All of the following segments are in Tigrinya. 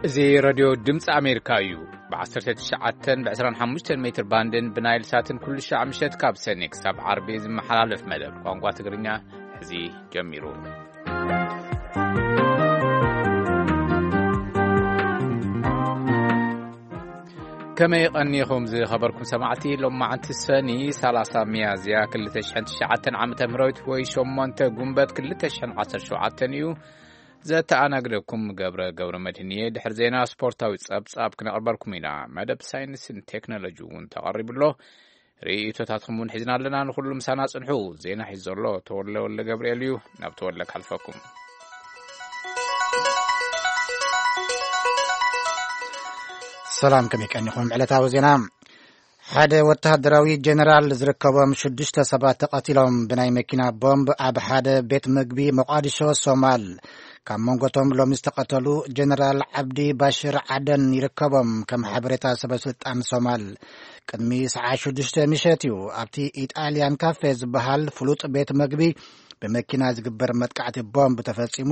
እዚ ሬድዮ ድምፂ ኣሜሪካ እዩ። ብ19 ብ25 ሜትር ባንድን ብናይል ሳትን ኩሉ ሻዕ ምሸት ካብ ሰኔ ክሳብ ዓርቢ ዝመሓላለፍ መደብ ቋንቋ ትግርኛ ሕዚ ጀሚሩ። ከመይ ቀኒኹም ዝኸበርኩም ሰማዕቲ? ሎማዓንቲ ሰኒ 30 ሚያዝያ 2009 ዓመተ ምህረት ወይ 8 ጉንበት 2017 እዩ። ዘተኣናግደኩም ገብረ ገብረ መድህን እየ። ድሕሪ ዜና ስፖርታዊ ጸብጻብ ክነቕርበልኩም ኢና። መደብ ሳይንስን ቴክኖሎጂ እውን ተቐሪቡ ኣሎ። ርእይቶታትኩም እውን ሒዝና ኣለና። ንኹሉ ምሳና ጽንሑ። ዜና ሒዙ ዘሎ ተወለ ወልደ ገብርኤል እዩ። ናብ ተወለ ካልፈኩም። ሰላም፣ ከመይ ቀኒኹም? ዕለታዊ ዜና። ሓደ ወተሃደራዊ ጀነራል ዝርከቦም ሽዱሽተ ሰባት ተቐቲሎም ብናይ መኪና ቦምብ ኣብ ሓደ ቤት ምግቢ ሞቃዲሾ ሶማል። ካብ መንጎቶም ሎሚ ዝተቐተሉ ጀነራል ዓብዲ ባሽር ዓደን ይርከቦም፣ ከም ሓበሬታ ሰበስልጣን ሶማል። ቅድሚ ሰዓት ሽዱሽተ ምሸት እዩ ኣብቲ ኢጣልያን ካፌ ዝበሃል ፍሉጥ ቤት ምግቢ ብመኪና ዝግበር መጥቃዕቲ ቦምብ ተፈጺሙ።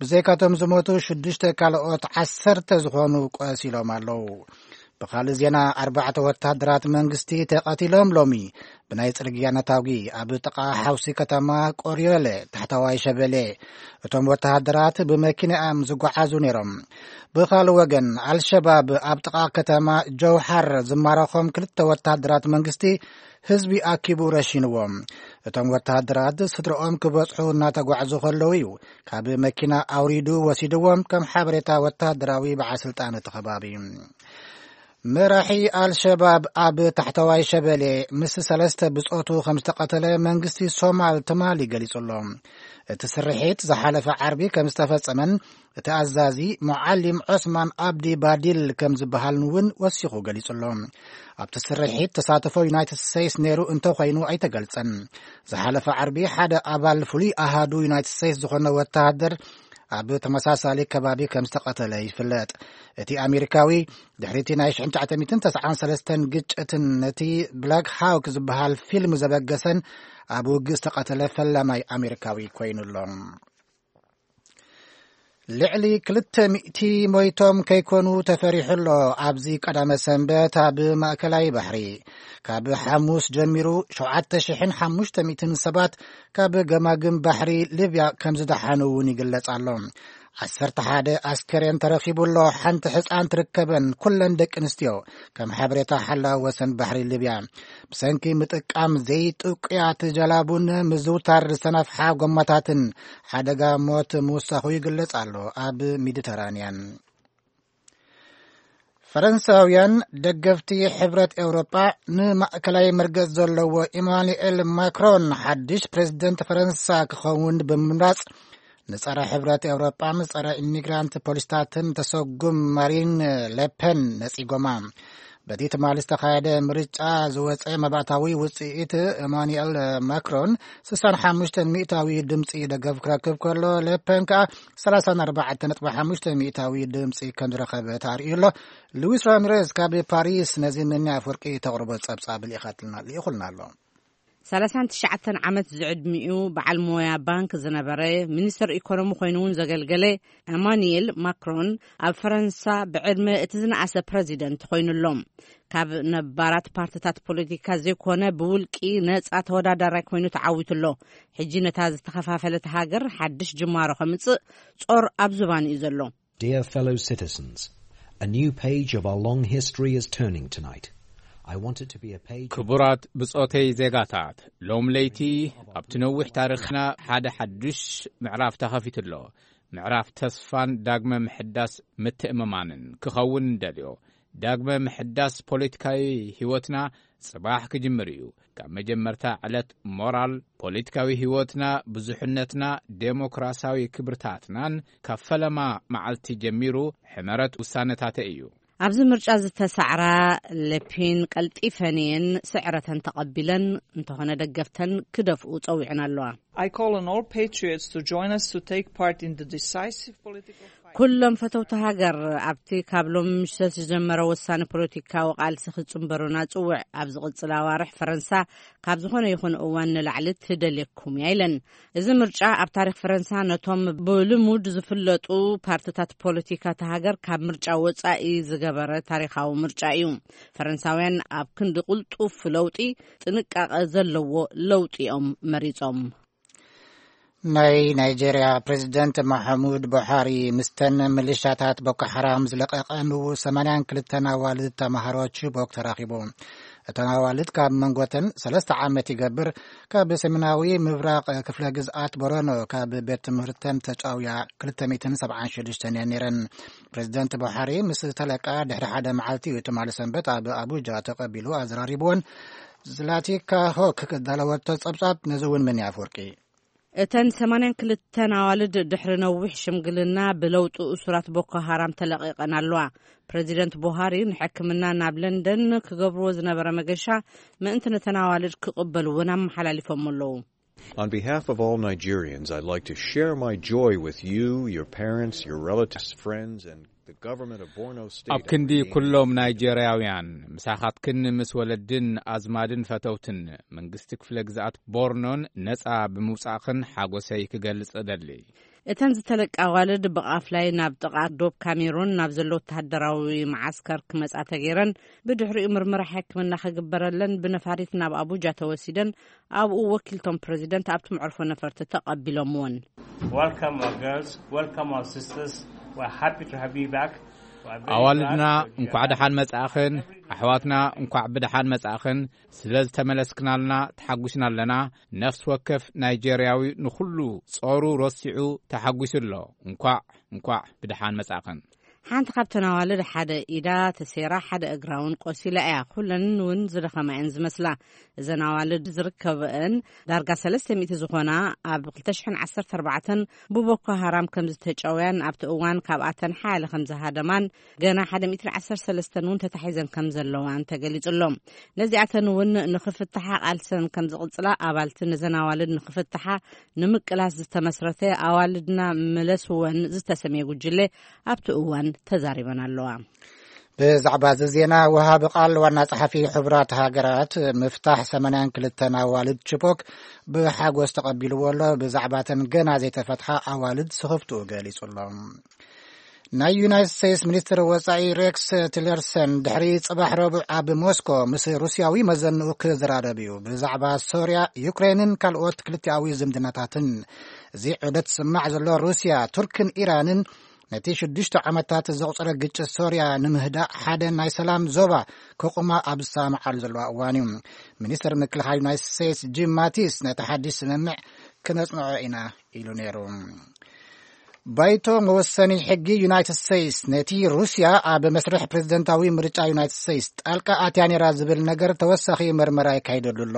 ብዘይካቶም ዝሞቱ ሽዱሽተ ካልኦት ዓሰርተ ዝኾኑ ቆሲሎም ኣለዉ። ብኻልእ ዜና፣ ኣርባዕተ ወታደራት መንግስቲ ተቐቲሎም ሎሚ ብናይ ጽርግያ ነታጒ ኣብ ጥቓ ሓውሲ ከተማ ቆርዮለ ታሕተዋይ ሸበሌ። እቶም ወታደራት ብመኪና እዮም ዝጓዓዙ ነይሮም። ብኻልእ ወገን፣ ኣልሸባብ ኣብ ጥቓ ከተማ ጀውሓር ዝማረኾም ክልተ ወታደራት መንግስቲ ህዝቢ ኣኪቡ ረሺንዎም። እቶም ወታደራት ስድረኦም ክበጽሑ እናተጓዕዙ ከለዉ እዩ ካብ መኪና ኣውሪዱ ወሲድዎም፣ ከም ሓበሬታ ወታደራዊ በዓል ስልጣን እቲ ከባቢ። መራሒ ኣልሸባብ ኣብ ታሕተዋይ ሸበሌ ምስ ሰለስተ ብጾቱ ከም ዝተቐተለ መንግስቲ ሶማል ትማሊ ገሊጹ ኣሎ። እቲ ስርሒት ዝሓለፈ ዓርቢ ከም ዝተፈጸመን እቲ ኣዛዚ ሙዓሊም ዖስማን ኣብዲ ባዲል ከም ዝበሃልን እውን ወሲኹ ገሊጹ ኣሎ። ኣብቲ ስርሒት ተሳትፎ ዩናይትድ ስቴትስ ነይሩ እንተኾይኑ ኣይተገልጸን። ዝሓለፈ ዓርቢ ሓደ ኣባል ፍሉይ ኣሃዱ ዩናይትድ ስቴትስ ዝኾነ ወተሃደር ኣብ ተመሳሳሊ ከባቢ ከም ዝተቐተለ ይፍለጥ። እቲ ኣሜሪካዊ ድሕሪቲ ናይ 1993 ግጭትን ነቲ ብላክ ሃውክ ዝበሃል ፊልም ዘበገሰን ኣብ ውግእ ዝተቐተለ ፈላማይ ኣሜሪካዊ ኮይኑ ኣሎ። ልዕሊ 200 ሞይቶም ከይኮኑ ተፈሪሑ ኣሎ። ኣብዚ ቀዳመ ሰንበት ኣብ ማእከላይ ባሕሪ ካብ ሓሙስ ጀሚሩ 7,500 ሰባት ካብ ገማግም ባሕሪ ሊብያ ከም ዝደሓኑ እውን ይግለጽ ኣሎ። 11 ኣስከሬን ተረኺቡ ኣሎ። ሓንቲ ሕፃን ትርከበን፣ ኩለን ደቂ ኣንስትዮ፣ ከም ሓበሬታ ሓላው ወሰን ባሕሪ ሊብያ። ብሰንኪ ምጥቃም ዘይጥቁያት ጀላቡን ምዝውታር ዝተነፍሓ ጎማታትን ሓደጋ ሞት ምውሳኹ ይግለጽ ኣሎ ኣብ ሜዲተራንያን። ፈረንሳውያን ደገፍቲ ሕብረት ኤውሮጳ ንማእከላይ መርገጽ ዘለዎ ኢማኑኤል ማክሮን ሓድሽ ፕሬዝደንት ፈረንሳ ክኸውን ብምምራጽ፣ ንጸረ ሕብረት ኤውሮጳን ጸረ ኢሚግራንት ፖሊስታትን ተሰጉም ማሪን ሌፐን ነጺጎማ። በቲ ትማሊ ዝተኻየደ ምርጫ ዝወጸ መባእታዊ ውጽኢት፣ ኢማኑኤል ማክሮን 65% ድምጺ ደገፍ ክረክብ ከሎ፣ ሌፐን ከኣ 34.5% ድምጺ ከም ዝረኸበ ተኣርእዩ ኣሎ። ሉዊስ ራሚሬዝ ካብ ፓሪስ ነዚ ምንያ ኣፍወርቂ ተቕርቦ ጸብጻብ ልኢኻትና-፣ ልኢኹልና ኣሎ። 39 ዓመት ዝዕድሚኡ በዓል ሞያ ባንክ ዝነበረ፣ ሚኒስተር ኢኮኖሚ ኮይኑ እውን ዘገልገለ፣ ኤማኑኤል ማክሮን ኣብ ፈረንሳ ብዕድመ እቲ ዝነኣሰ ፕረዚደንት ኮይኑ ኣሎ። ካብ ነባራት ፓርትታት ፖለቲካ ዘይኮነ ብውልቂ ነጻ ተወዳዳራይ ኮይኑ ተዓዊቱ ኣሎ። ሕጂ ነታ ዝተኸፋፈለት ሃገር ሓድሽ ጅማሮ ከምጽእ ጾር ኣብ ዝባኑ እዩ ዘሎ። Dear fellow citizens, a new page of our long history is turning tonight. I want it to be a page of ክቡራት ብጾተይ ዜጋታት፣ ሎም ለይቲ ኣብቲ ነዊሕ ታሪኽና ሓደ ሓድሽ ምዕራፍ ተኸፊቱ ኣሎ። ምዕራፍ ተስፋን ዳግመ ምሕዳስ ምትእምማንን ክኸውን እንደልዮ። ዳግመ ምሕዳስ ፖለቲካዊ ህይወትና ጽባሕ ክጅምር እዩ። ካብ መጀመርታ ዕለት ሞራል፣ ፖለቲካዊ ህይወትና፣ ብዙሕነትና፣ ዴሞክራሲያዊ ክብርታትናን ካብ ፈለማ መዓልቲ ጀሚሩ ሕመረት ውሳነታተ እዩ። ኣብዚ ምርጫ ዝተሳዕራ ሌፒን ቀልጢፈን እየን ስዕረተን ተቐቢለን፣ እንተኾነ ደገፍተን ክደፍኡ ጸዊዐን ኣለዋ። I call on all patriots to join us to take part in the decisive political fight. ኩሎም ፈተውቲ ሃገር ኣብቲ ካብ ሎም ምሸት ዝጀመረ ወሳኒ ፖለቲካዊ ቃልሲ ክጽንበሩና ጽውዕ። ኣብ ዝቕጽል ኣዋርሕ ፈረንሳ ካብ ዝኾነ ይኹን እዋን ንላዕሊ ትደልየኩም እያ ኢለን። እዚ ምርጫ ኣብ ታሪኽ ፈረንሳ ነቶም ብልሙድ ዝፍለጡ ፓርትታት ፖለቲካ እታ ሃገር ካብ ምርጫ ወጻኢ ዝገበረ ታሪኻዊ ምርጫ እዩ። ፈረንሳውያን ኣብ ክንዲ ቅልጡፍ ለውጢ ጥንቃቐ ዘለዎ ለውጢ እዮም መሪጾም። ናይ ናይጄርያ ፕሬዚደንት ማሐሙድ ቡሓሪ ምስተን ምልሻታት ቦኮ ሓራም ዝለቀቐ ንው ሰማንያን ክልተን ኣዋልድ ተማሃሮ ቺቦክ ተራኺቡ። እተን ኣዋልድ ካብ መንጎተን ሰለስተ ዓመት ይገብር ካብ ሰሜናዊ ምብራቕ ክፍለ ግዝኣት ቦረኖ ካብ ቤት ትምህርተን ተጫውያ ክልተ ሚእትን ሰብዓን ሽዱሽተን እየን ነይረን። ፕሬዚደንት ቡሓሪ ምስ ተለቃ ድሕሪ ሓደ መዓልቲ እዩ ትማሊ ሰንበት ኣብ ኣቡጃ ተቐቢሉ ኣዘራሪብዎን። ዝላቲካ ሆክ ክዳለወቶ ጸብጻብ ነዚ እውን ምን ኣፍወርቂ። እተን ሰማንያን ክልተን ኣዋልድ ድሕሪ ነዊሕ ሽምግልና ብለውጢ እሱራት ቦኮ ሃራም ተለቒቐን ኣለዋ። ፕሬዚደንት ቡሃሪ ንሕክምና ናብ ለንደን ክገብርዎ ዝነበረ መገሻ ምእንቲ ነተን ኣዋልድ ክቕበልዎን ኣመሓላሊፎም ኣለዉ። On behalf of all Nigerians, I'd like to share my joy with you, your parents, your relatives, friends, and the government of Borno State. ኣብ ክንዲ ኩሎም ናይጄርያውያን ምሳኻትክን ምስ ወለድን ኣዝማድን ፈተውትን መንግስቲ ክፍለ ግዝኣት ቦርኖን ነጻ ብምውጻእኽን ሓጎሰይ ክገልጽ እደሊ። እተን ዝተለቃ ኣዋልድ ብቓፍላይ ናብ ጥቓ ዶብ ካሜሩን ናብ ዘሎ ወተሃደራዊ መዓስከር ክመጻ ተገይረን፣ ብድሕሪኡ ምርመራ ሕክምና ክግበረለን ብነፋሪት ናብ ኣቡጃ ተወሲደን፣ ኣብኡ ወኪልቶም ፕሬዚደንት ኣብቲ መዕርፎ ነፈርቲ ተቐቢሎምዎን። Welcome, our girls. Welcome, our sisters. We're happy to have you back. We're very ኣዋልድና glad that you እንኳዕ are ደሓን መጻእኽን፣ ኣሕዋትና እንኳዕ ብደሓን መጻእኽን። ስለ ዝተመለስክናልና ተሓጒስና ኣለና። ነፍሲ ወከፍ ናይጄርያዊ ንኹሉ ጾሩ ረሲዑ ተሓጒሱ ኣሎ። እንኳዕ እንኳዕ ብደሓን መጻእኽን። ሓንቲ ካብተን ኣዋልድ ሓደ ኢዳ ተሰይራ፣ ሓደ እግራ እውን ቆሲላ እያ። ኩለን እውን ዝደኸማ እየን ዝመስላ። እዘን ኣዋልድ ዝርከበአን ዳርጋ ሰለስተ ሚእቲ ዝኾና ኣብ ክልተ ሽሕን ዓሰርተ ኣርባዕተን ብቦኮ ሃራም ከም ዝተጨውያን ኣብቲ እዋን ካብኣተን ሓያለ ከም ዝሃደማን ገና ሓደ ሚእትን ዓሰርተ ሰለስተን እውን ተታሒዘን ከም ዘለዋን ተገሊጹ ኣሎ። ነዚኣተን እውን ንኽፍትሓ ቃልሰን ከም ዝቕጽላ ኣባልቲ ነዘን ኣዋልድ ንኽፍትሓ ንምቅላስ ዝተመስረተ ኣዋልድና ምለስወን ዝተሰምየ ጉጅለ ኣብቲ እዋን ተዛሪበን ኣለዋ። ብዛዕባ እዚ ዜና ወሃቢ ቃል ዋና ጸሓፊ ሕቡራት ሃገራት ምፍታሕ ሰማንያን ክልተን ኣዋልድ ቺቦክ ብሓጎስ ተቐቢልዎ ኣሎ። ብዛዕባተን ገና ዘይተፈትሓ ኣዋልድ ስኽፍትኡ ገሊጹ ኣሎ። ናይ ዩናይትድ ስቴትስ ሚኒስትር ወጻኢ ሬክስ ቲለርሰን ድሕሪ ጽባሕ ረቡዕ ኣብ ሞስኮ ምስ ሩስያዊ መዘንኡ ክዘራረብ እዩ። ብዛዕባ ሶርያ፣ ዩክሬንን ካልኦት ክልቲኣዊ ዝምድናታትን። እዚ ዑደት ዝስማዕ ዘሎ ሩስያ፣ ቱርክን ኢራንን ነቲ ሽዱሽተ ዓመታት ዘቑጸረ ግጭት ሶርያ ንምህዳእ ሓደ ናይ ሰላም ዞባ ከቑማ ኣብ ዝሰማምዓሉ ዘለዋ እዋን እዩ። ሚኒስትር ምክልኻል ዩናይትድ ስቴትስ ጂም ማቲስ ነቲ ሓድሽ ስምምዕ ክነጽንዖ ኢና ኢሉ ነይሩ። ባይቶ መወሰኒ ሕጊ ዩናይትድ ስቴትስ ነቲ ሩስያ ኣብ መስርሕ ፕሬዝደንታዊ ምርጫ ዩናይትድ ስቴትስ ጣልቃ ኣትያ ነይራ ዝብል ነገር ተወሳኺ መርመራ ይካይደሉ ኣሎ።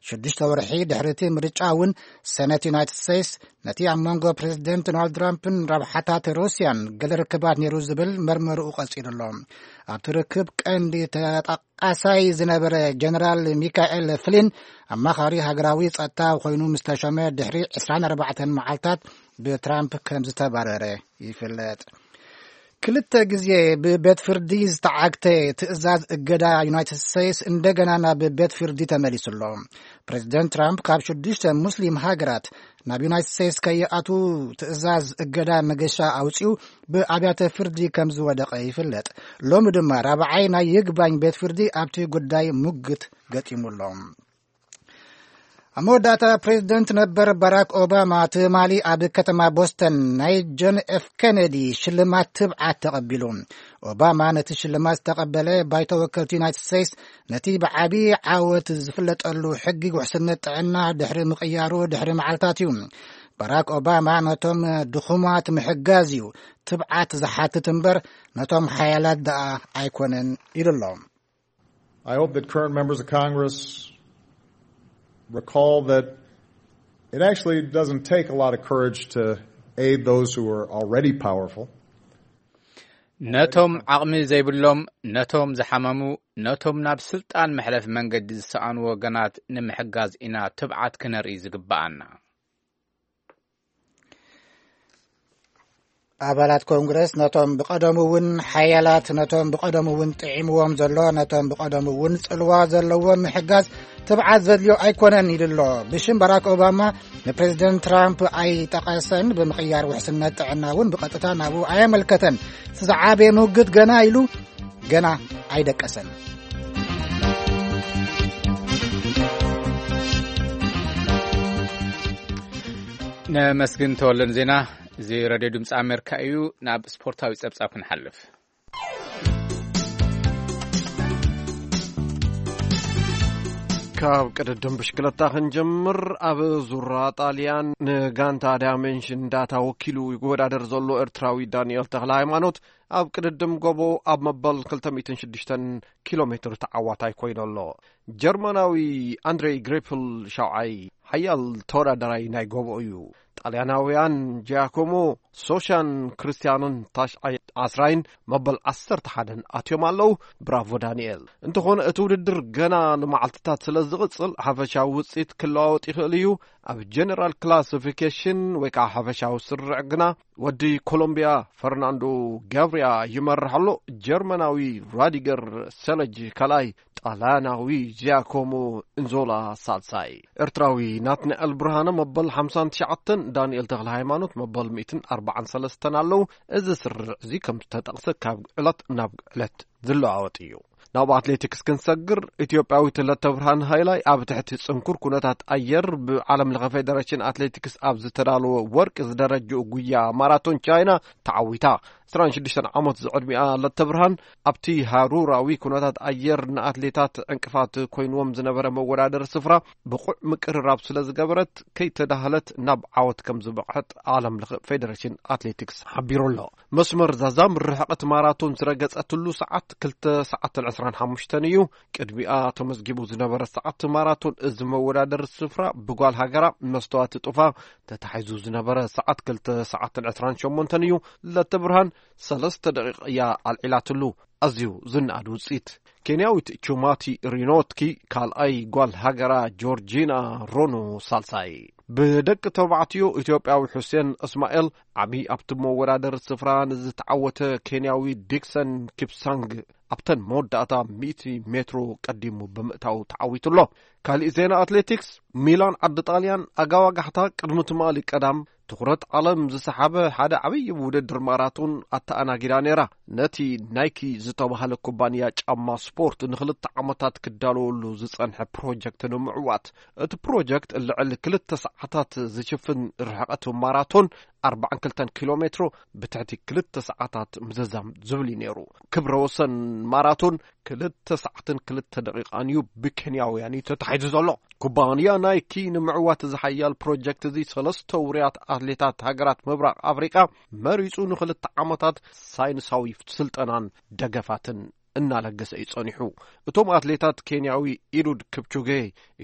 ሽዱሽተ ወርሒ ድሕሪ እቲ ምርጫ እውን ሰነት ዩናይትድ ስቴትስ ነቲ ኣብ መንጎ ፕሬዝደንት ዶናልድ ትራምፕን ረብሓታት ሩስያን ገለ ርክባት ነይሩ ዝብል መርመርኡ ቀጺሉ ኣሎ። ኣብቲ ርክብ ቀንዲ ተጠቃሳይ ዝነበረ ጀነራል ሚካኤል ፍሊን ኣማኻሪ ሃገራዊ ጸጥታ ኮይኑ ምስ ተሾመ ድሕሪ ዕስራን ኣርባዕተን መዓልታት ብትራምፕ ከም ዝተባረረ ይፍለጥ። ክልተ ግዜ ብቤት ፍርዲ ዝተዓግተ ትእዛዝ እገዳ ዩናይትድ ስቴትስ እንደገና ናብ ቤት ፍርዲ ተመሊሱ ኣሎ። ፕሬዚደንት ትራምፕ ካብ ሽዱሽተ ሙስሊም ሃገራት ናብ ዩናይትድ ስቴትስ ከይኣቱ ትእዛዝ እገዳ መገሻ ኣውጺኡ ብኣብያተ ፍርዲ ከም ዝወደቐ ይፍለጥ። ሎሚ ድማ ራብዓይ ናይ ይግባኝ ቤት ፍርዲ ኣብቲ ጉዳይ ሙግት ገጢሙ ኣሎ። ኣብ መወዳእታ ፕሬዚደንት ነበር ባራክ ኦባማ ትማሊ ኣብ ከተማ ቦስተን ናይ ጆን ኤፍ ኬነዲ ሽልማት ትብዓት ተቐቢሉ። ኦባማ ነቲ ሽልማት ዝተቐበለ ባይቶ ወከልቲ ዩናይትድ ስቴትስ ነቲ ብዓቢ ዓወት ዝፍለጠሉ ሕጊ ውሕስነት ጥዕና ድሕሪ ምቕያሩ ድሕሪ መዓልታት እዩ። ባራክ ኦባማ ነቶም ድኹማት ምሕጋዝ እዩ፣ ትብዓት ዝሓትት እምበር ነቶም ሓያላት ደኣ ኣይኮነን ኢሉ ኣሎ። I hope that current members of Congress recall that it actually doesn't take a lot of courage to aid those who are already powerful. ነቶም ዓቕሚ ዘይብሎም፣ ነቶም ዝሓመሙ፣ ነቶም ናብ ስልጣን መሕለፊ መንገዲ ዝሰኣኑ ወገናት ንምሕጋዝ ኢና ትብዓት ክነርኢ ዝግብኣና። ኣባላት ኮንግረስ ነቶም ብቐደሙ እውን ሓያላት፣ ነቶም ብቐደሙ እውን ጥዒምዎም ዘሎ፣ ነቶም ብቐደሙ እውን ጽልዋ ዘለዎም ምሕጋዝ ትብዓት ዘድልዮ ኣይኮነን ኢሉ ኣሎ። ብሽም ባራክ ኦባማ ንፕሬዚደንት ትራምፕ ኣይጠቐሰን። ብምቕያር ውሕስነት ጥዕና እውን ብቐጥታ ናብኡ ኣየመልከተን። እቲ ዝዓበየ ምውግት ገና ኢሉ ገና ኣይደቀሰን። ነመስግን ተወለን ዜና። እዚ ሬድዮ ድምፂ ኣሜሪካ እዩ። ናብ ስፖርታዊ ጸብጻብ ክንሓልፍ። ካብ ቅድድም ብሽክለታ ክንጀምር። ኣብ ዙራ ጣልያን ንጋንታ ዳይሜንሽን ዳታ ወኪሉ ይወዳደር ዘሎ ኤርትራዊ ዳንኤል ተኽለ ሃይማኖት ኣብ ቅድድም ጎቦ ኣብ መበል ክልተ ሚእትን ሽዱሽተን ኪሎ ሜትር ተዓዋታይ ኮይኑ ኣሎ። ጀርመናዊ ኣንድሬ ግሬፕል ሻውዓይ ሓያል ተወዳዳራይ ናይ ጎቦ እዩ። ጣልያናውያን ጂያኮሞ ሶሻን ክርስቲያንን ታሽዓይ ዓስራይን መበል ዓሰርተ ሓደን ኣትዮም ኣለዉ። ብራቮ ዳንኤል። እንተኾነ እቲ ውድድር ገና ንመዓልትታት ስለ ዝቕጽል ሓፈሻዊ ውጽኢት ክለዋወጥ ይኽእል እዩ። ኣብ ጀነራል ክላሲፊኬሽን ወይ ከዓ ሓፈሻዊ ስርዕ ግና ወዲ ኮሎምቢያ ፈርናንዶ ጋብሪያ ይመርሕ ኣሎ። ጀርመናዊ ራዲገር ሰለጅ ካልኣይ፣ ጣልያናዊ ጂያኮሞ እንዞላ ሳልሳይ። ኤርትራዊ ናትናኤል ብርሃነ መበል ሓምሳን ትሽዓተን፣ ዳንኤል ተኽለ ሃይማኖት መበል ሚእትን ኣርባዓን ሰለስተን ኣለዉ። እዚ ስርዕ እዚ ከም ዝተጠቕሰ ካብ ዕለት ናብ ዕለት ዝለዋወጥ እዩ። ናብ ኣትሌቲክስ ክንሰግር፣ ኢትዮጵያዊት ለተብርሃን ሃይላይ ኣብ ትሕቲ ጽንኩር ኩነታት ኣየር ብዓለም ለኸ ፌደሬሽን ኣትሌቲክስ ኣብ ዝተዳለወ ወርቂ ዝደረጅኡ ጉያ ማራቶን ቻይና ተዓዊታ። ዕስራን ሽዱሽተን ዓመት ዝዕድሚኣ ለተብርሃን ኣብቲ ሃሩራዊ ኩነታት ኣየር ንኣትሌታት ዕንቅፋት ኮይንዎም ዝነበረ መወዳደሪ ስፍራ ብቑዕ ምቅርራብ ስለ ዝገበረት ከይተዳህለት ናብ ዓወት ከም ዝበቕዐት ዓለም ለኸ ፌደሬሽን ኣትሌቲክስ ሓቢሩ ኣሎ። መስመር ዛዛም ርሕቐት ማራቶን ዝረገጸትሉ ሰዓት ክልተ ሰዓትን ዕስራን ሓሙሽተን እዩ። ቅድሚኣ ተመዝጊቡ ዝነበረ ሰዓት ማራቶን እዚ መወዳደሪ ስፍራ ብጓል ሃገራ መስተዋት ጡፋ ተታሒዙ ዝነበረ ሰዓት ክልተ ሰዓትን ዕስራን ሸሞንተን እዩ። ለተብርሃን ሰለስተ ደቂቕ እያ ኣልዒላትሉ። ኣዝዩ ዝነኣድ ውጽኢት። ኬንያዊት ቹማቲ ሪኖትኪ ካልኣይ፣ ጓል ሃገራ ጆርጂና ሮኖ ሳልሳይ። ብደቂ ተባዕትዮ ኢትዮጵያዊ ሑሴን እስማኤል ዓቢ ኣብቲ መወዳደሪ ስፍራ ንዝተዓወተ ኬንያዊ ዲክሰን ኪፕሳንግ ኣብተን መወዳእታ ሚእቲ ሜትሮ ቀዲሙ ብምእታው ተዓዊቱ ኣሎ። ካሊእ ዜና ኣትሌቲክስ፣ ሚላን ዓዲ ጣልያን ኣጋዋጋሕታ ቅድሚ ትማሊ ቀዳም ትኹረት ዓለም ዝሰሓበ ሓደ ዓብዪ ውድድር ማራቶን ኣተኣናጊዳ ነይራ። ነቲ ናይኪ ዝተባህለ ኩባንያ ጫማ ስፖርት ንኽልተ ዓመታት ክዳለወሉ ዝጸንሐ ፕሮጀክት ንምዕዋት፣ እቲ ፕሮጀክት ልዕሊ ክልተ ሰዓታት ዝሽፍን ርሕቐት ማራቶን ኣርባዓን ክልተን ኪሎ ሜትሮ ብትሕቲ ክልተ ሰዓታት ምዝዛም ዝብል እዩ ነይሩ። ክብረ ወሰን ማራቶን ክልተ ሰዓትን ክልተ ደቂቓን እዩ ብኬንያውያን እዩ ተታሒዙ ዘሎ። ኩባንያ ናይኪ ንምዕዋት እዚ ሓያል ፕሮጀክት እዚ ሰለስተ ውሩያት ኣትሌታት ሃገራት ምብራቕ ኣፍሪቃ መሪጹ ንኽልተ ዓመታት ሳይንሳዊ ስልጠናን ደገፋትን እናለገሰ እዩ ጸኒሑ። እቶም ኣትሌታት ኬንያዊ ኢሉድ ክፕቹጌ፣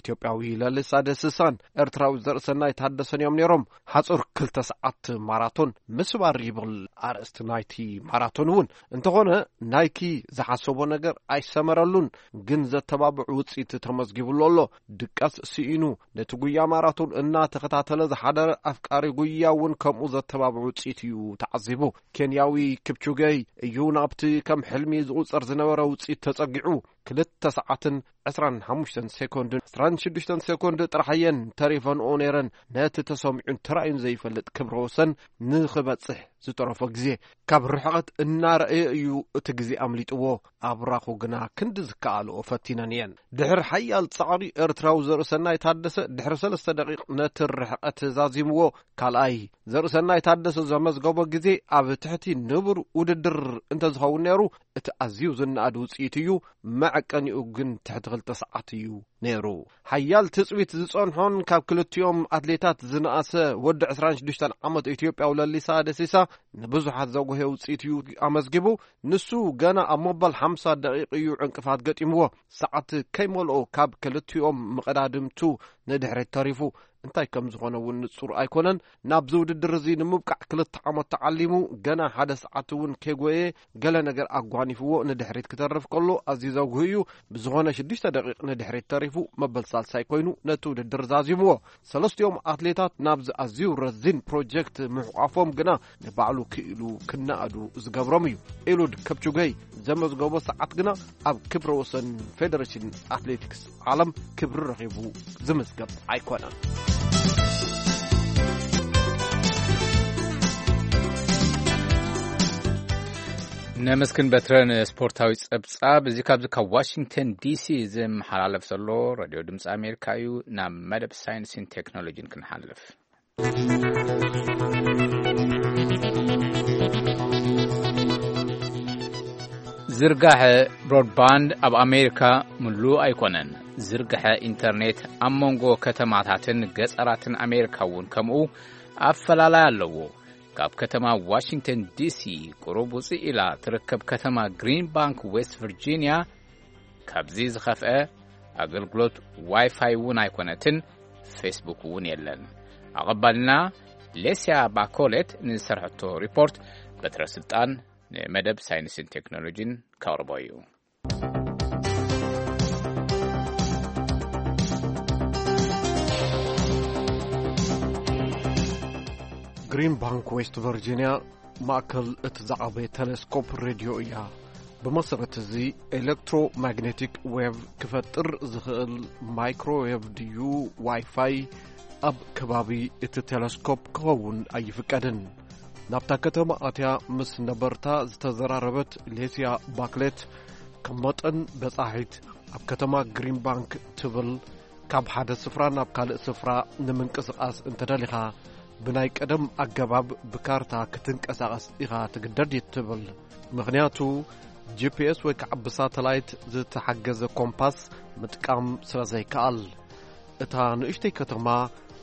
ኢትዮጵያዊ ለሊሳ ደስሳን ኤርትራዊ ዘርእሰናይ ታደሰን እዮም ነይሮም። ሓጹር ክልተ ሰዓት ማራቶን ምስባር ይብል ኣርእስቲ ናይቲ ማራቶን እውን። እንተኾነ ናይኪ ዝሓሰቦ ነገር ኣይሰመረሉን፣ ግን ዘተባብዕ ውጽኢት ተመዝጊብሉ ኣሎ። ድቃስ ስኢኑ ነቲ ጉያ ማራቶን እናተኸታተለ ዝሓደረ ኣፍቃሪ ጉያ እውን ከምኡ ዘተባብዕ ውጽኢት እዩ ተዓዚቡ። ኬንያዊ ኪፕቹጌ እዩ ናብቲ ከም ሕልሚ ዝቑጸር ዝነበረ ውጽኢት ተጸጊዑ። ክልተ ሰዓትን ዕስራን ሓሙሽተን ሴኮንድን ዕስራን ሽዱሽተን ሴኮንድ ጥራሕ እየን ተሪፈንኦ ነይረን ነቲ ተሰሚዑን ተራእዩን ዘይፈልጥ ክብረ ወሰን ንኽበጽሕ ዝጠረፎ ግዜ። ካብ ርሕቐት እናረኣየ እዩ እቲ ግዜ ኣምሊጥዎ። ኣብራኹ ግና ክንዲ ዝከኣልኦ ፈቲነን እየን። ድሕሪ ሓያል ጻዕሪ ኤርትራዊ ዘርእሰናይ ታደሰ ድሕሪ ሰለስተ ደቂቕ ነቲ ርሕቐት ዛዚምዎ። ካልኣይ ዘርእሰናይ ታደሰ ዘመዝገቦ ግዜ ኣብ ትሕቲ ንቡር ውድድር እንተዝኸውን ነይሩ፣ እቲ ኣዝዩ ዝነኣድ ውጽኢት እዩ፣ መዐቀኒኡ ግን ትሕቲ ክልተ ሰዓት እዩ ነይሩ። ሓያል ትጽቢት ዝጸንሖን ካብ ክልቲኦም ኣትሌታት ዝነኣሰ ወዲ ዕስራን ሽዱሽተን ዓመት ኢትዮጵያዊ ለሊሳ ደሲሳ ንብዙሓት ዘጉህየ ውጽኢት እዩ ኣመዝጊቡ። ንሱ ገና ኣብ መበል ሓምሳ ደቂቕ እዩ ዕንቅፋት ገጢምዎ። ሰዓት ከይመልኦ ካብ ክልቲኦም መቐዳድምቱ ንድሕሪት ተሪፉ። እንታይ ከም ዝኾነ እውን ንጹር ኣይኮነን። ናብዚ ውድድር እዚ ንምብቃዕ ክልተ ዓመት ተዓሊሙ፣ ገና ሓደ ሰዓት እውን ከይጎየ ገለ ነገር ኣጓኒፍዎ ንድሕሪት ክተርፍ ከሎ ኣዝዩ ዘጉህ እዩ። ብዝኾነ ሽዱሽተ ደቂቕ ንድሕሪት ተሪፉ። መበል ሳልሳይ ኮይኑ ነቲ ውድድር ዛዚምዎ። ሰለስቲኦም ኣትሌታት ናብዚ ኣዝዩ ረዚን ፕሮጀክት ምሕቋፎም ግና ንባዕሉ ክኢሉ ክነኣዱ ዝገብሮም እዩ። ኤሉድ ከፕቹገይ ዘመዝገቦ ሰዓት ግና ኣብ ክብረ ወሰን ፌደሬሽን ኣትሌቲክስ ዓለም ክብሪ ረኺቡ ዝምዝገብ ኣይኮነን። ነመስግን በትረ ንስፖርታዊ ጸብጻብ። እዚ ካብዚ ካብ ዋሽንግተን ዲሲ ዝመሓላለፍ ዘሎ ሬድዮ ድምፂ ኣሜሪካ እዩ። ናብ መደብ ሳይንስን ቴክኖሎጂን ክንሓልፍ። ዝርጋሐ ብሮድባንድ ኣብ ኣሜሪካ ምሉእ ኣይኮነን። ዝርግሐ ኢንተርኔት ኣብ መንጎ ከተማታትን ገጸራትን ኣሜሪካ እውን ከምኡ ኣፈላላይ ኣለዎ። ካብ ከተማ ዋሽንግተን ዲሲ ቁሩብ ውፅእ ኢላ ትርከብ ከተማ ግሪን ባንክ ዌስት ቨርጂኒያ ካብዚ ዝኸፍአ ኣገልግሎት ዋይፋይ እውን ኣይኮነትን፣ ፌስቡክ እውን የለን። ኣቐባልና ሌስያ ባኮሌት ንዝሰርሐቶ ሪፖርት በትረ ስልጣን ንመደብ ሳይንስን ቴክኖሎጂን ከቕርቦ እዩ። ግሪን ባንክ ዌስት ቨርጂኒያ ማእከል እቲ ዝዓበየ ቴሌስኮፕ ሬድዮ እያ። ብመሰረት እዚ ኤሌክትሮማግኔቲክ ዌቭ ክፈጥር ዝኽእል ማይክሮዌቭ ድዩ ዋይፋይ ኣብ ከባቢ እቲ ቴሌስኮፕ ክኸውን ኣይፍቀድን። ናብታ ከተማ ኣትያ ምስ ነበርታ ዝተዘራረበት ሌስያ ባክሌት፣ ከም መጠን በጻሒት ኣብ ከተማ ግሪን ባንክ ትብል፣ ካብ ሓደ ስፍራ ናብ ካልእ ስፍራ ንምንቅስቓስ እንተደሊኻ፣ ብናይ ቀደም ኣገባብ ብካርታ ክትንቀሳቐስ ኢኻ ትግደድ እዩ ትብል። ምኽንያቱ፣ ጂ ፒ ኤስ ወይ ከዓ ብሳተላይት ዝተሓገዘ ኮምፓስ ምጥቃም ስለ ዘይከኣል። እታ ንእሽተይ ከተማ፣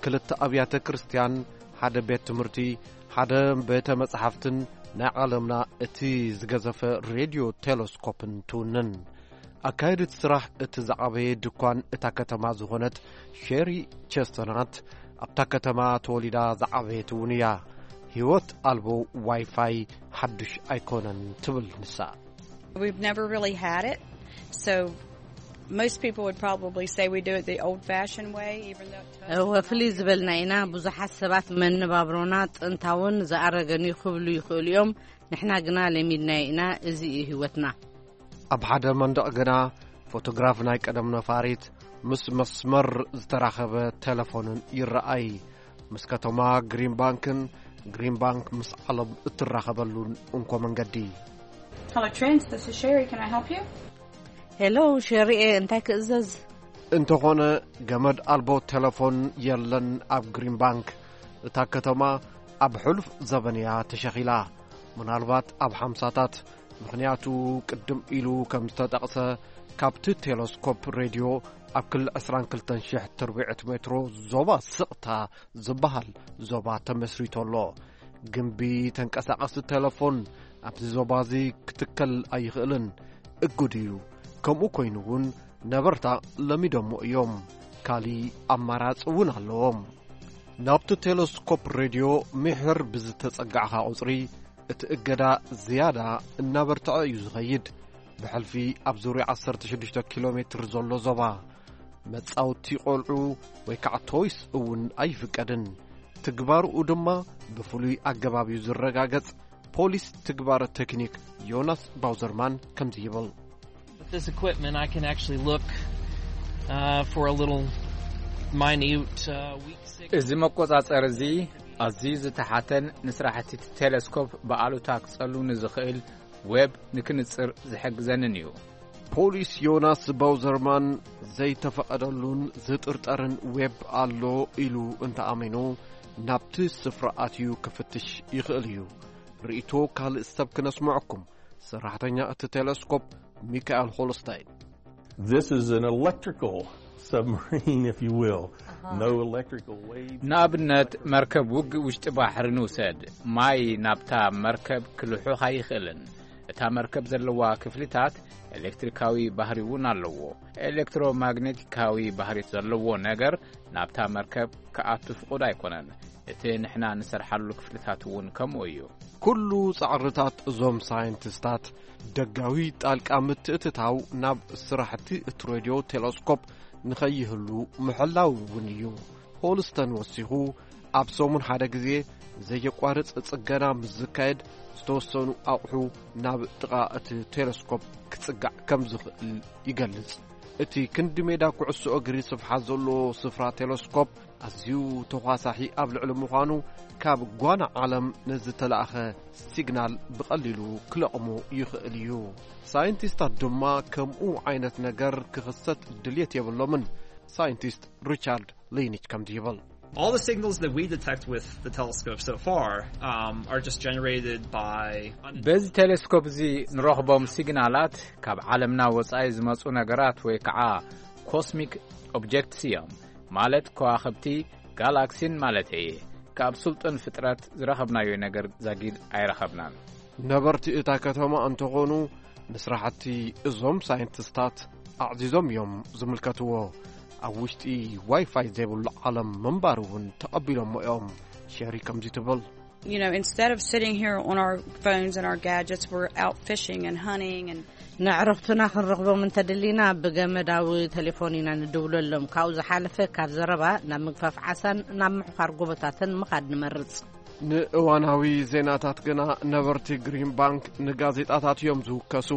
ክልተ ኣብያተ ክርስቲያን፣ ሓደ ቤት ትምህርቲ፣ ሓደ ቤተ መጻሕፍትን ናይ ዓለምና እቲ ዝገዘፈ ሬድዮ ቴሌስኮፕን ትውንን። ኣካየዲት ስራሕ እቲ ዝዓበየ ድኳን እታ ከተማ ዝኾነት ሼሪ ቸስተናት፣ ኣብታ ከተማ ተወሊዳ ዝዓበየት እውን እያ። ህይወት ኣልቦ ዋይፋይ ሓዱሽ ኣይኮነን ትብል ንሳ። We've never really had it, so most people would probably say we do it the old-fashioned way, even though it እወ፣ ፍልይ ዝበልና ኢና። ብዙሓት ሰባት መነባብሮና ጥንታውን ዝኣረገን እዩ ክብሉ ይኽእሉ እዮም። ንሕና ግና ለሚድናዮ ኢና። እዚ እዩ ህይወትና። ኣብ ሓደ መንደቕ ግና ፎቶግራፍ ናይ ቀደም ነፋሪት ምስ መስመር ዝተራኸበ ቴሌፎንን ይረኣይ። ምስ ከተማ ግሪን ባንክን ግሪን ባንክ ምስ ዓለም እትራኸበሉን እንኮ መንገዲ። Hello, Trent. This is Sherry. Can I help you? ሄሎ፣ ሸሪኤ፣ እንታይ ክእዘዝ? እንተኾነ፣ ገመድ ኣልቦ ቴሌፎን የለን ኣብ ግሪን ባንክ። እታ ከተማ ኣብ ሕሉፍ ዘበን እያ ተሸኺላ፣ ምናልባት ኣብ ሓምሳታት። ምኽንያቱ፣ ቅድም ኢሉ ከም ዝተጠቕሰ፣ ካብቲ ቴሌስኮፕ ሬድዮ ኣብ ክሊ ዕስራን ክልተን ሽሕ ትርብዒት ሜትሮ ዞባ ስቕታ ዝበሃል ዞባ ተመስሪቱ ኣሎ። ግምቢ ተንቀሳቐሲ ቴሌፎን ኣብዚ ዞባ እዚ ክትከል ኣይኽእልን፣ እጉድ እዩ። ከምኡ ኮይኑ እውን ነበርታ ለሚዶሞ እዮም። ካሊ ኣማራጺ እውን ኣለዎም። ናብቲ ቴሌስኮፕ ሬድዮ ምሕር ብዝተጸጋዕኻ ቁጽሪ፣ እቲ እገዳ ዝያዳ እናበርትዐ እዩ ዝኸይድ። ብሕልፊ ኣብ ዙርያ ዓሰርተ ሽዱሽተ ኪሎ ሜትር ዘሎ ዞባ፣ መጻውቲ ቆልዑ ወይ ከዓ ቶይስ እውን ኣይፍቀድን። ትግባርኡ ድማ ብፍሉይ ኣገባብ እዩ ዝረጋገጽ። ፖሊስ ትግባረ ቴክኒክ ዮናስ ባውዘርማን ከምዚ ይብል። With this equipment, I can actually look, uh, for a little minute, uh, weak signal. እዚ መቆጻጸሪ እዚ ኣዝዩ ዝተሓተን ንስራሕቲ እቲ ቴሌስኮፕ ብኣሉታ ክጸሉ ንዝኽእል ዌብ ንክንጽር ዝሕግዘንን እዩ። ፖሊስ ዮናስ ባውዘርማን ዘይተፈቐደሉን ዝጥርጠርን ዌብ ኣሎ ኢሉ እንተኣሚኑ፣ ናብቲ ስፍራ ኣትዩ ክፍትሽ ይኽእል እዩ። ርእይቶ ካልእ ሰብ ክነስምዐኩም። ሰራሕተኛ እቲ ቴሌስኮፕ ሚካኤል ሆልስታይን። This is an electrical submarine, if you will. No electrical waves. ንኣብነት፣ መርከብ ውግእ ውሽጢ ባሕሪ ንውሰድ። ማይ ናብታ መርከብ ክልሑኽ ኣይኽእልን። እታ መርከብ ዘለዋ ክፍልታት ኤሌክትሪካዊ ባህሪ እውን ኣለዎ። ኤሌክትሮማግኔቲካዊ ባህሪ ዘለዎ ነገር ናብታ መርከብ ክኣቱ ፍቑድ ኣይኮነን። እቲ ንሕና ንሰርሓሉ ክፍልታት እውን ከምኡ እዩ። ኩሉ ጻዕርታት እዞም ሳይንቲስታት ደጋዊ ጣልቃ ምትእትታው ናብ ስራሕቲ እቲ ሬድዮ ቴሌስኮፕ ንኸይህሉ ምሕላው እውን እዩ። ሆልስተን ወሲኹ፣ ኣብ ሰሙን ሓደ ግዜ ዘየቋርጽ ጽገና ምስ ዝካየድ፣ ዝተወሰኑ ኣቑሑ ናብ ጥቓ እቲ ቴለስኮፕ ክጽጋዕ ከም ዝኽእል ይገልጽ። እቲ ክንዲ ሜዳ ኩዕሶ እግሪ ስፍሓት ዘለዎ ስፍራ ቴለስኮፕ ኣዝዩ ተዃሳሒ ኣብ ልዕሊ ምዃኑ፣ ካብ ጓና ዓለም ንዝተላእኸ ሲግናል ብቐሊሉ ክለቕሞ ይኽእል እዩ። ሳይንቲስታት ድማ ከምኡ ዓይነት ነገር ክኽሰት ድልየት የብሎምን። ሳይንቲስት ሪቻርድ ሊኒች ከምዚ ይብል። All the signals that we detect with the telescope so far, um, are just generated by በዚ ቴሌስኮፕ እዚ ንረኽቦም ሲግናላት ካብ ዓለምና ወጻኢ ዝመጹ ነገራት ወይ ከዓ ኮስሚክ ኦብጀክትስ እዮም። ማለት ከዋኽብቲ፣ ጋላክሲን ማለት እየ። ካብ ስልጡን ፍጥረት ዝረኸብናዮ ነገር ዛጊድ ኣይረኸብናን። ነበርቲ እታ ከተማ እንተኾኑ፣ ንስራሕቲ እዞም ሳይንቲስታት ኣዕዚዞም እዮም ዝምልከትዎ። ኣብ ውሽጢ ዋይፋይ ዘይብሉ ዓለም ምንባር እውን ተቐቢሎሞ እዮም። ሸሪ ከምዚ ትብል። You know, instead of sitting here on our phones and our gadgets, we're out fishing and hunting and ነዕርኽትና ክንረኽቦም እንተደሊና፣ ብገመዳዊ ቴሌፎን ኢና ንድውለሎም። ካብኡ ዝሓለፈ፣ ካብ ዘረባ ናብ ምግፋፍ ዓሳን ናብ ምሕፋር ጎቦታትን ምኻድ ንመርጽ። ንእዋናዊ ዜናታት ግና ነበርቲ ግሪን ባንክ ንጋዜጣታት እዮም ዝውከሱ።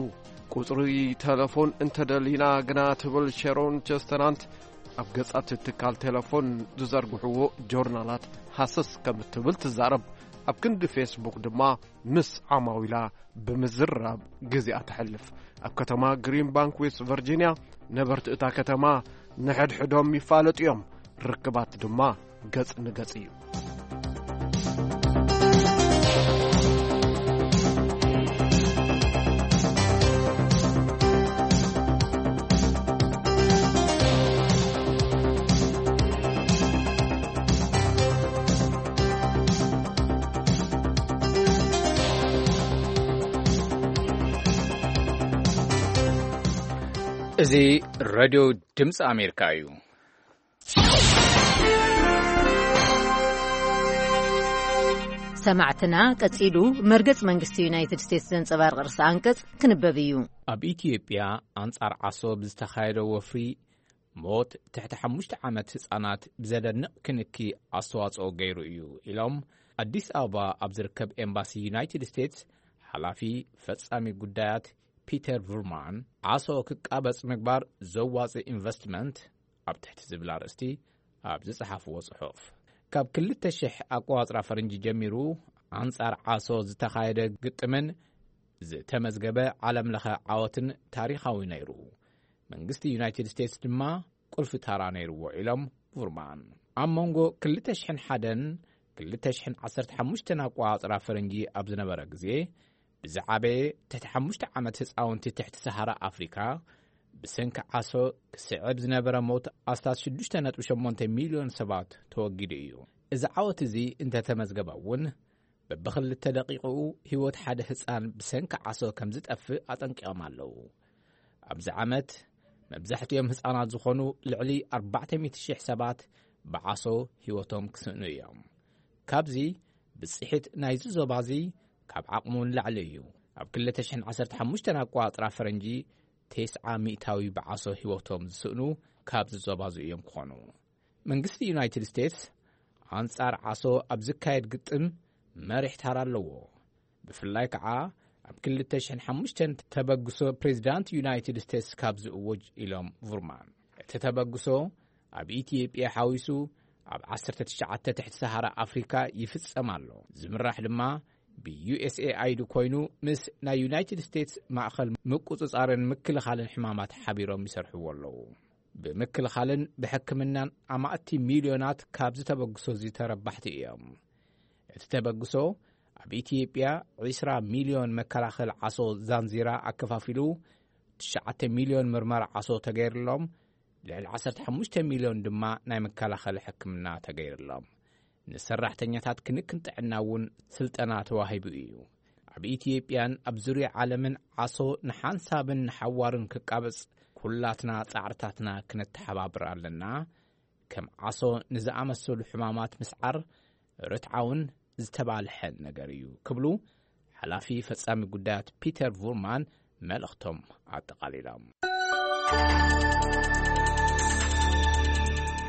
ቁጽሪ ተለፎን እንተደሊና ግና፣ ትብል ሸሮን ቸስተናንት፣ ኣብ ገጻት ትካል ቴለፎን ዝዘርግሕዎ ጆርናላት ሃሰስ ከም እትብል ትዛረብ። ኣብ ክንዲ ፌስቡክ ድማ ምስ ዓማዊላ ብምዝራብ ግዜኣ ተሕልፍ። ኣብ ከተማ ግሪን ባንክ ዌስት ቨርጂንያ፣ ነበርቲ እታ ከተማ ንሕድሕዶም ይፋለጡ እዮም። ርክባት ድማ ገጽ ንገጽ እዩ። እዚ ሬድዮ ድምፂ ኣሜሪካ እዩ። ሰማዕትና፣ ቀጺሉ መርገጽ መንግስቲ ዩናይትድ ስቴትስ ዘንጸባርቕ ርእሰ ኣንቀጽ ክንበብ እዩ። ኣብ ኢትዮጵያ ኣንጻር ዓሶ ብዝተኻየደ ወፍሪ፣ ሞት ትሕቲ ሓሙሽተ ዓመት ህጻናት ብዘደንቕ ክንኪ ኣስተዋጽኦ ገይሩ እዩ ኢሎም፣ ኣዲስ ኣበባ ኣብ ዝርከብ ኤምባሲ ዩናይትድ ስቴትስ ሓላፊ ፈጻሚ ጉዳያት ፒተር ቡርማን። ዓሶ ክቃበጽ ምግባር ዘዋጽእ ኢንቨስትመንት ኣብ ትሕቲ ዝብል ኣርእስቲ ኣብ ዝጸሓፍዎ ጽሑፍ፣ ካብ ክልተ ሽሕ ኣቆጻጽራ ፈረንጂ ጀሚሩ ኣንጻር ዓሶ ዝተኻየደ ግጥምን ዝተመዝገበ ዓለምለኸ ዓወትን ታሪኻዊ ነይሩ። መንግስቲ ዩናይትድ ስቴትስ ድማ ቁልፊ ታራ ነይርዎ ኢሎም ቡርማን። ኣብ መንጎ ክልተ ሽሕን ሓደን ክልተ ሽሕን ዓሰርተ ሓሙሽተን ኣቆጻጽራ ፈረንጂ ኣብ ዝነበረ ግዜ፣ ብዝዓበየ ትሕቲ ሓሙሽተ ዓመት ህጻውንቲ ትሕቲ ሰሃራ ኣፍሪካ ብሰንኪ ዓሶ ክስዕብ ዝነበረ ሞት ኣስታት ሽዱሽተ ነጥቢ ሸሞንተ ሚልዮን ሰባት ተወጊዱ እዩ። እዚ ዓወት እዚ እንተተመዝገበ እውን፣ በብኽልተ ደቂቕኡ ህይወት ሓደ ህጻን ብሰንኪ ዓሶ ከም ዝጠፍእ ኣጠንቂቖም ኣለዉ። ኣብዚ ዓመት መብዛሕትኦም ህጻናት ዝኾኑ ልዕሊ ኣርባዕተ ሚእቲ ሽሕ ሰባት ብዓሶ ህይወቶም ክስእኑ እዮም። ካብዚ፣ ብጽሒት ናይዚ ዞባ እዚ ካብ ዓቕሙ ንላዕሊ እዩ። ኣብ ክልተ ሽሕን ዓሰርተ ሓሙሽተን ኣቆጻጽራ ፈረንጂ፣ ተስዓ ሚእታዊ ብዓሶ ህይወቶም ዝስእኑ ካብዚ ዞባ እዚ እዮም ክኾኑ። መንግስቲ ዩናይትድ ስቴትስ ኣንጻር ዓሶ ኣብ ዝካየድ ግጥም መሪሕ ታራ ኣለዎ። ብፍላይ ከዓ ኣብ ክልተ ሽሕን ሓሙሽተን ተበግሶ ፕሬዚዳንት ዩናይትድ ስቴትስ ካብ ዝእወጅ ኢሎም ቡርማን። እቲ ተበግሶ ኣብ ኢትዮጵያ ሓዊሱ ኣብ ዓሰርተ ትሽዓተ ትሕቲ ሰሃራ ኣፍሪካ ይፍጸም ኣሎ። ዝምራሕ ድማ ብዩኤስኤኣይዲ ኮይኑ ምስ ናይ ዩናይትድ ስቴትስ ማእኸል ምቁጽጻርን ምክልኻልን ሕማማት ሓቢሮም ይሰርሕዎ ኣለዉ። ብምክልኻልን ብሕክምናን ኣማእቲ ሚልዮናት ካብዚ ተበግሶ እዚ ተረባሕቲ እዮም። እቲ ተበግሶ ኣብ ኢትዮጵያ ዕስራ ሚልዮን መከላኸሊ ዓሶ ዛንዚራ ኣከፋፊሉ፣ ትሽዓተ ሚልዮን ምርመራ ዓሶ ተገይርሎም፣ ልዕሊ ዓሰርተ ሓሙሽተ ሚልዮን ድማ ናይ መከላኸሊ ሕክምና ተገይርሎም። ንሰራሕተኛታት ክንክን ጥዕና እውን ስልጠና ተዋሂቡ እዩ። ኣብ ኢትዮጵያን ኣብ ዙርያ ዓለምን ዓሶ ንሓንሳብን ንሓዋሩን ክቃበጽ ኩላትና ጻዕርታትና ክነተሓባብር ኣለና። ከም ዓሶ ንዝኣመሰሉ ሕማማት ምስዓር ርትዓውን ዝተባልሐን ነገር እዩ ክብሉ ሓላፊ ፈጻሚ ጉዳያት ፒተር ቡርማን መልእኽቶም ኣጠቓሊሎም።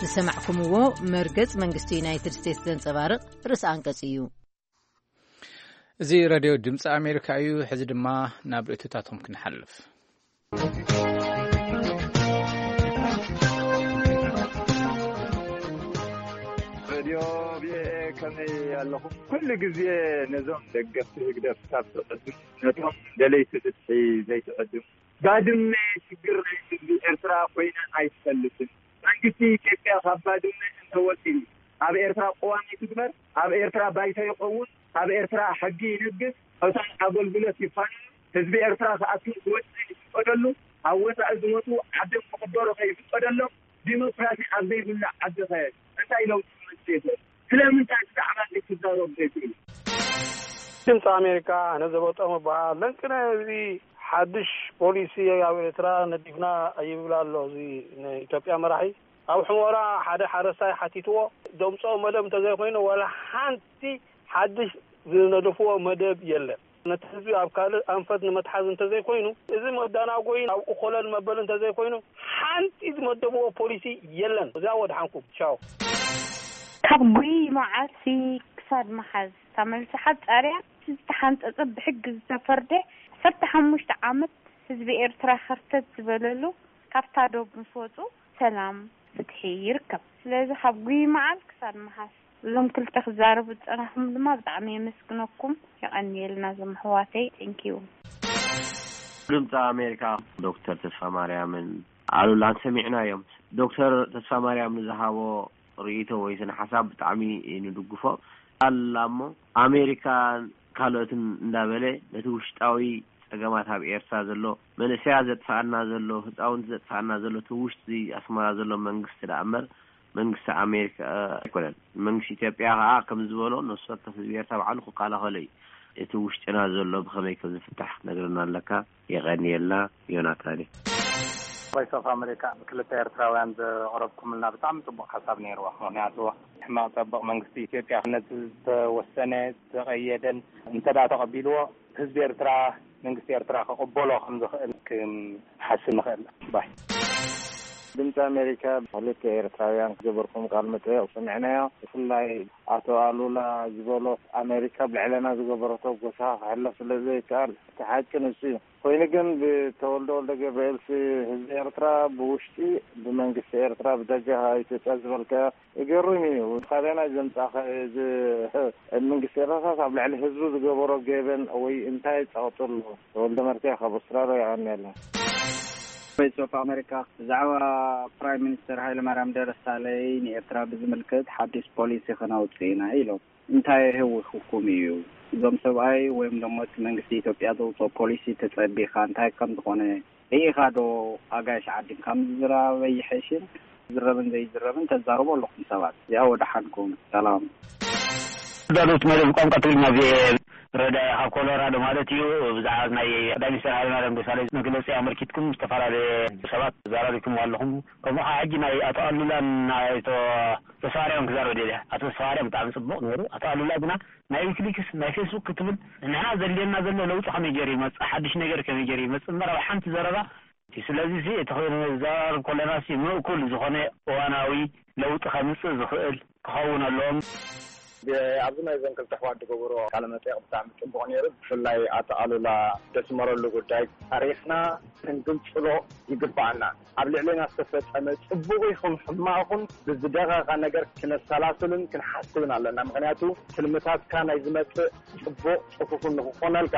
ዝሰማዕኩምዎ መርገጽ መንግስቲ ዩናይትድ ስቴትስ ዘንጸባርቕ ርእሰ ኣንቀጽ እዩ። እዚ ሬድዮ ድምፂ ኣሜሪካ እዩ። ሕዚ ድማ ናብ ርእይቶታቶም ክንሓልፍ። ሬድዮ ቪኦኤ ከመይ ኣለኹም? ኩሉ ግዜ ነዞም ደገፍቲ ህግደፍ ካብ ትዕድሙ፣ ነቶም ደለይቲ ፍትሒ ዘይትዕድሙ። ባድመ ሽግር ናይ ህዝቢ ኤርትራ ኮይና ኣይትፈልጥን። መንግስቲ ኢትዮጵያ ካብ ባድመ እንተወፂኡ ኣብ ኤርትራ ቅዋም ይትግበር፣ ኣብ ኤርትራ ባይቶ ይኸውን፣ ኣብ ኤርትራ ሕጊ ይነግስ፣ እቶም ኣገልግሎት ይፋነው፣ ህዝቢ ኤርትራ ክኣቱ ክወፅእ ይፍቀደሉ፣ ኣብ ወፃኢ ዝመፁ ዓዶም ክቕበሩ ከይፍቀደሎም፣ ዲሞክራሲ ኣብ ዘይብሉ ዓዲ ከ እንታይ ለውጢ ክመፅእ ይኽእል? ስለምንታይ ብዛዕባ እዚ ክዛረቡ ዘይክእሉ? ድምፂ ኣሜሪካ፣ ኣነ ዘበጦም እበሃል። ለንቅነ እዚ ሓድሽ ፖሊሲ ኣብ ኤርትራ ነዲፍና ይብል ኣሎ እዚ ናይ ኢትዮጵያ መራሒ። ኣብ ሕሞራ ሓደ ሓረስታይ ሓቲትዎ፣ ደምፅኦ መደብ እንተዘይኮይኑ ዋላ ሓንቲ ሓድሽ ዝነደፍዎ መደብ የለን። ነቲ ህዝቢ ኣብ ካልእ ኣንፈት ንመትሓዝ እንተዘይኮይኑ፣ እዚ መዳናጎይን ኣብኡ ኮለል መበል እንተዘይኮይኑ፣ ሓንቲ ዝመደብዎ ፖሊሲ የለን። እዚኣ ወድሓንኩም። ቻው። ካብ ጉይ መዓልቲ ክሳድ መሓዝ፣ እታ መልሲ ሓጻር እያ። እቲ ዝተሓንጸጸ ብሕጊ ዝተፈርደ ዓሰርተ ሓሙሽተ ዓመት ህዝቢ ኤርትራ ከርተት ዝበለሉ፣ ካብታ ዶብ ምስ ወጹ ሰላም፣ ፍትሒ ይርከብ። ስለዚ ካብ ጉይ መዓል ክሳድ መሓዝ እዞም ክልተ ክዛረቡ ዝጸናሕኩም ድማ ብጣዕሚ የመስግነኩም። የቐንየልና እዞም ኣሕዋተይ። Thank you። ድምፂ ኣሜሪካ ዶክተር ተስፋ ማርያምን ኣሉላን ሰሚዕናዮም። ዶክተር ተስፋ ማርያም ንዝሃቦ ርእይቶ ወይ ስነ ሓሳብ ብጣዕሚ ንድግፎ ኣላ እሞ፣ ኣሜሪካን ካልኦትን እንዳበለ ነቲ ውሽጣዊ ጸገማት ኣብ ኤርትራ ዘሎ፣ መንእሰያት ዘጥፋኣና ዘሎ፣ ህፃውንቲ ዘጥፋኣና ዘሎ፣ እቲ ውሽጢ ኣስመራ ዘሎ መንግስቲ ደኣ እምበር መንግስቲ ኣሜሪካ ኣይኮነን። መንግስቲ ኢትዮጵያ ከዓ ከም ዝበሎ ነፍሲ ወከፍ ህዝቢ ኤርትራ ባዕሉ ክከላኸሎ እዩ። እቲ ውሽጥና ዘሎ ብኸመይ ከም ዝፍታሕ ክትነግረና ኣለካ። የቐንየልና ዮናታን። ቮይስ ኦፍ ኣሜሪካ፣ ክልተ ኤርትራውያን ዘቕረብኩምልና ብጣዕሚ ጽቡቕ ሓሳብ ነይርዎ። ምኽንያቱ ሕማቕ ጸብቕ መንግስቲ ኢትዮጵያ ነቲ ዝተወሰነ፣ ዝተቐየደን እንተ ደኣ ተቐቢልዎ፣ ህዝቢ ኤርትራ፣ መንግስቲ ኤርትራ ክቕበሎ ከም ዝኽእል ክንሓስብ ንኽእል። ባይ። ድምፂ ኣሜሪካ፣ ክልተ ኤርትራውያን ዝገበርኩም ቃል መጠየቕ ሰሚዕናዮ። ብፍላይ ኣቶ ኣሉላ ዝበሎ፣ ኣሜሪካ ኣብ ልዕለና ዝገበረቶ ጎሳ ክሕለፍ ስለ ዘይከኣል፣ እቲ ሓቂ ንሱ እዩ። ኮይኑ ግን ብተወልደ ወልደ ገብርኤልሲ ህዝቢ ኤርትራ ብውሽጢ፣ ብመንግስቲ ኤርትራ ብደገ ኢትዮጵያ ዝበልካዮ ይገርም እዩ። ካበና ዘምጻኸ እዚ መንግስቲ ኤርትራስ ኣብ ልዕሊ ህዝቡ ዝገበሮ ገበን ወይ እንታይ ጸቕጢ ኣሎ? ተወልደ መርትያ ካብ ኣውስትራልያ የቐንየልና። ቮይስ ኦፍ ኣሜሪካ፣ ብዛዕባ ፕራይም ሚኒስተር ሃይለማርያም ደሳለኝ ንኤርትራ ብዝምልከት ሓድሽ ፖሊሲ ከነውጽእ ኢና ኢሎም። እንታይ የህውኽኩም እዩ? እዞም ሰብኣይ ወይም ደሞ እቲ መንግስቲ ኢትዮጵያ ዘውፅኦ ፖሊሲ ተጸቢኻ እንታይ ከም ዝኾነ ርኢኻ ዶ? ኣጋይሽ ዓዲ ከም ዝዝረብ ኣይሕሽን? ዝረብን ዘይዝረብን ተዛርቦ ኣለኹም ሰባት። እዚኣ ወደሓንኩም። ሰላም። ዳሉት መደብ ቋንቋ ትግርኛ ቪኦኤ ረዳኢ ካብ ኮሎራዶ ማለት እዩ። ብዛዕባ ናይ ቀዳማይ ሚኒስትር ሃይለማርያም ደሳለኝ መግለፂ ኣመልኪትኩም ዝተፈላለየ ሰባት ተዘራሪብኩም ኣለኹም። ከምኡ ከዓ ሕጂ ናይ ኣቶ ኣሉላን ናይ ኣቶ ተስፋማርያም ክዛረብ ደልየ። ኣቶ ተስፋማርያም ብጣዕሚ ጽቡቕ ነይሩ። ኣቶ ኣሉላ ግና ናይ ዊኪሊክስ፣ ናይ ፌስቡክ ክትብል፣ ንሕና ዘድልየና ዘሎ ለውጢ ከመይ ገይሩ ይመጽእ፣ ሓድሽ ነገር ከመይ ገይሩ ይመጽእ እምበር ኣብ ሓንቲ ዘረባ እቲ። ስለዚ እዚ እቲ ኮይኑ ንዘራረብ ከለና ሲ ምእኩል ዝኾነ እዋናዊ ለውጢ ከምጽእ ዝኽእል ክኸውን ኣለዎም። ብ-፣ ኣብዚ ናይ እዞን ክልተ ኣሕዋት ዝገበርዎ ቃለ መጠይቕ ብጣዕሚ ጽቡቕ ነይሩ። ብፍላይ ኣቶ ኣሉላ ዘስመረሉ ጉዳይ ታሪኽና ክንግንጽሎ ይግባኣና። ኣብ ልዕሌና ዝተፈጸመ ጽቡቕ ይኹን ሕማቕ ይኹን ብዝደቐቐ ነገር ክነሰላስልን ክንሓስብን ኣለና። ምኽንያቱ ትልምታትካ ናይ ዝመጽእ ጽቡቕ ጽፉፍን ንኽኾነልካ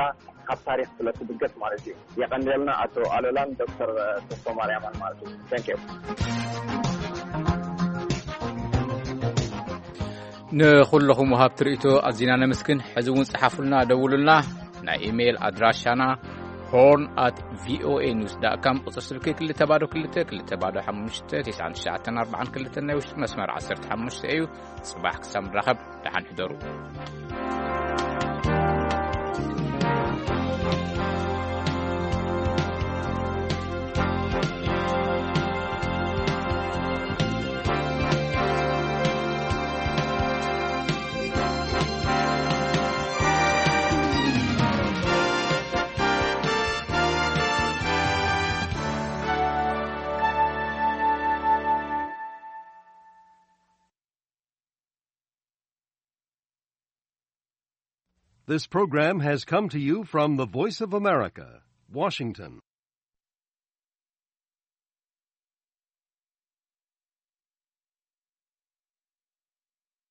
ካብ ታሪኽ ስለ ትብገስ ማለት እዩ። የቐንየልና ኣቶ ኣሉላን ዶክተር ተስፋማርያምን ማለት እዩ። Thank you። ንኹለኹም ወሃብቲ ርእይቶ ኣዚና ነመስግን። ሕዚ እውን ጸሓፉልና፣ ደውሉልና። ናይ ኢሜይል ኣድራሻና ሆርን ኣት ቪኦኤ ኒውስ ዳት ካም፣ ቁጽሪ ስልኪ ክልተ ባዶ ክልተ ክልተ ባዶ ሓሙሽተ ትሽዓን ትሽዓተን ኣርባዓን ክልተን ናይ ውሽጢ መስመር ዓሰርተ ሓሙሽተ እዩ። ጽባሕ ክሳብ ንራኸብ፣ ደሓን ሕደሩ። This program has come to you from the Voice of America, Washington.